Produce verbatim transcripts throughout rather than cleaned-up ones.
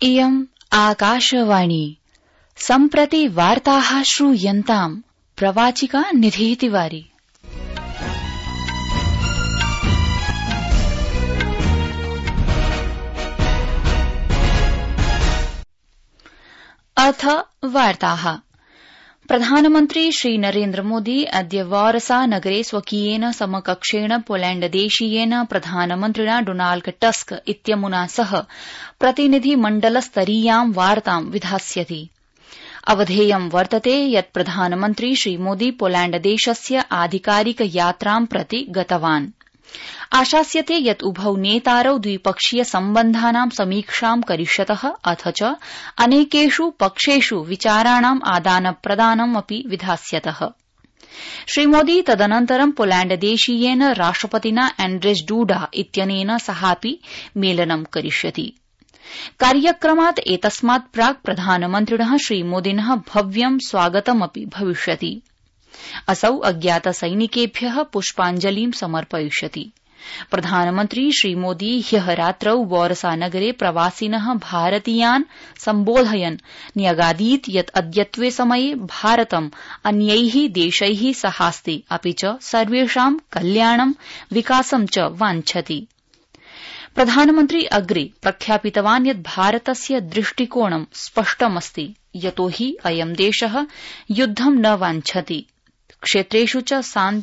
इयम् आकाशवाणी सम्प्रति वार्ताः श्रूयन्ताम् प्रवाचिका निधि तिवारी। अथ वार्ताः। प्रधानमन्त्री श्री नरेन्द्र मोदी अद्य वारसा नगरे स्वकीयेन समकक्षेण पोलैण्डदेशीयेन प्रधानमन्त्रिणा डोनाल्ड टस्क इत्यमुना सह प्रतिनिधिमण्डलस्तरीयां वार्तां विधास्यति। अवधेयं वर्तते यत् प्रधानमन्त्री श्री मोदी पोलैण्डदेशस्य आधिकारिक यात्रां प्रति गतवान्। आशास्यते यत् उभौ नेतारौ द्विपक्षीय सम्बन्धानां समीक्षां करिष्यतः अथ च अनेकेषु पक्षेषु विचाराणाम् आदानप्रदानम् अपि विधास्यतः। श्रीमोदी तदनन्तरं पोलैण्डदेशीयेन राष्ट्रपतिना एण्ड्रेज डूडा इत्यनेन सहापि मेलनं करिष्यति। कार्यक्रमात् एतस्मात् प्राक् प्रधानमन्त्रिणः श्रीमोदिनः भव्यं स्वागतमपि भविष्यति। असौ अज्ञातसैनिकेभ्यः पुष्पाञ्जलिं समर्पयिष्यति। प्रधानमन्त्री श्रीमोदी ह्यः रात्रौ वारसा नगरे प्रवासिनः भारतीयान् सम्बोधयन् न्यगादीत् यत् अद्यत्वे समये भारतम् अन्यैः देशैः सहास्ति अपि च सर्वेषां कल्याणं विकासं च वाञ्छति। प्रधानमन्त्री अग्रे प्रख्यापितवान् यत् भारतस्य दृष्टिकोणं स्पष्टमस्ति यतो हि अयं देशः युद्धं न वाञ्छति, क्षेत्रेषु च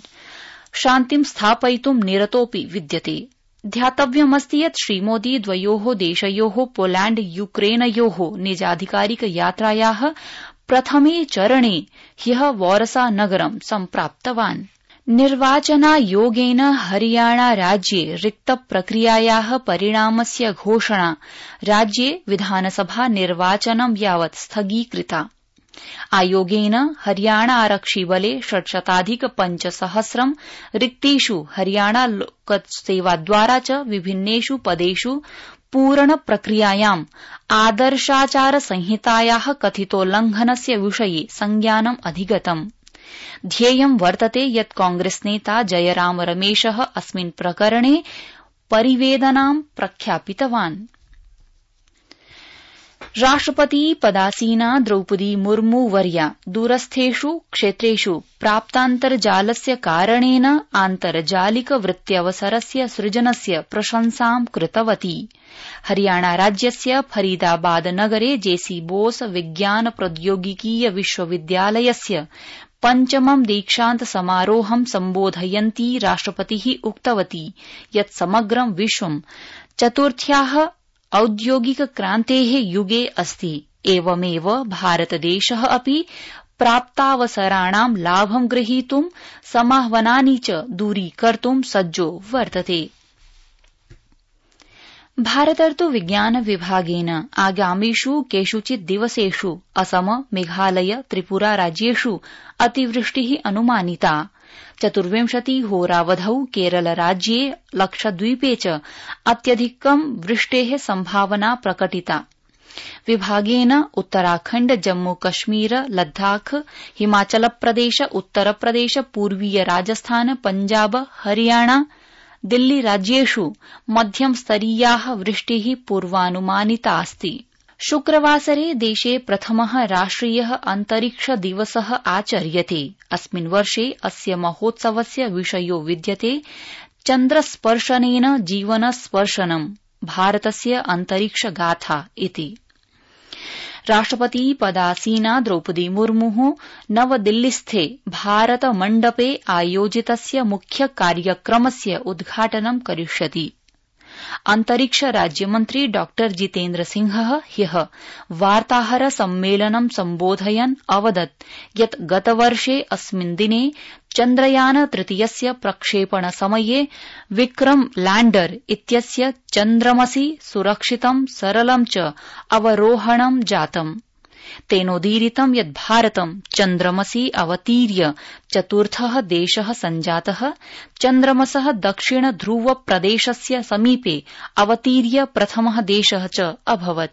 शान्तिं स्थापयितुं निरतोऽपि विद्यते। ध्यातव्यमस्ति यत् श्रीमोदी द्वयोः देशयोः पोलैण्ड यूक्रेनयोः निजाधिकारिक यात्रायाः प्रथमे चरणे ह्यः वारसा नगरं सम्प्राप्तवान्। निर्वाचनायोगेन हरियाणा राज्ये रिक्तप्रक्रियायाः परिणामस्य घोषणा राज्ये विधानसभा निर्वाचनं यावत् स्थगीकृता। आयोगेन हरियाणा आरक्षिबले षट्शताधिक पञ्चसहस्रं रिक्तेषु हरियाणा लोकसेवाद्वारा च विभिन्नेषु पदेषु पूरणप्रक्रियायाम् आदर्शाचारसंहितायाः कथितोल्लंघनस्य विषये संज्ञानम् अधिगतम्। ध्येयं वर्तते यत् कांग्रेसनेता जयराम रमेशः अस्मिन् प्रकरणे परिवेदनां प्रख्यापितवान्। राष्ट्रपति पदासीना द्रौपदी मुर्मू वर्या दूरस्थेषु क्षेत्रेषु प्राप्तान्तर्जालस्य कारणेन आन्तर्जालिक वृत्त्यवसरस्य सृजनस्य प्रशंसां कृतवती। हरियाणा राज्यस्य फरीदाबाद नगरे जेसी बोस विज्ञान प्रौद्योगिकीय विश्वविद्यालयस्य पञ्चमं दीक्षान्त समारोहं सम्बोधयन्ती राष्ट्रपतिः उक्तवती यत् समग्रं विश्वं चतुर्थ्याः औद्योगिक क्रान्तेः युगे अस्ति। एवमेव भारतदेशः अपि प्राप्तावसराणां लाभं ग्रहीतुं समाह्वानानि च दूरीकर्तुं सज्जो वर्तते। भारतर्तु विज्ञान विभागेन आगामिषु केषुचित् दिवसेषु असम, मेघालय, त्रिपुरा राज्येषु अतिवृष्टिः अनुमानिता। चतुर्विंशति होरावधौ केरलराज्ये लक्षद्वीपे च अत्यधिकं वृष्टेः सम्भावना प्रकटिता। विभागेन उत्तराखण्ड, जम्मू कश्मीर, लद्दाख, हिमाचलप्रदेश, उत्तरप्रदेश, पूर्वीय राजस्थान, पञ्जाब, हरियाणा, दिल्ली राज्येषु मध्यमस्तरीयाः वृष्टिः पूर्वानुमानितास्ति। शुक्रवासरे देशे प्रथमः राष्ट्रियः अन्तरिक्ष दिवसः आचर्यते। अस्मिन् वर्षे अस्य महोत्सवस्य विषयो विद्यते चन्द्रस्पर्शनेन जीवनस्पर्शनम् भारतस्य अन्तरिक्ष गाथा इति। राष्ट्रपति पदासीना द्रौपदी मुर्मुः नवदिल्लीस्थे भारत मण्डपे आयोजितस्य मुख्य कार्यक्रमस्य उद्घाटनं करिष्यति। अन्तरिक्ष राज्यमन्त्री डॉ जितेन्द्र सिंहः ह्यः वार्ताहर सम्मेलनं सम्बोधयन् अवदत् यत् गतवर्षे अस्मिन् दिने चन्द्रयान तृतीयस्य प्रक्षेपण समये विक्रम लैण्डर इत्यस्य चन्द्रमसि सुरक्षितं सरलं च अवरोहणं जातम्। तेनोदीरितं यत् भारतं चन्द्रमसि अवतीर्य चतुर्थः देशः सञ्जातः, चन्द्रमसः दक्षिण ध्रुव प्रदेशस्य समीपे अवतीर्य प्रथमः देशः च अभवत्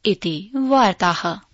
इति वार्ताः।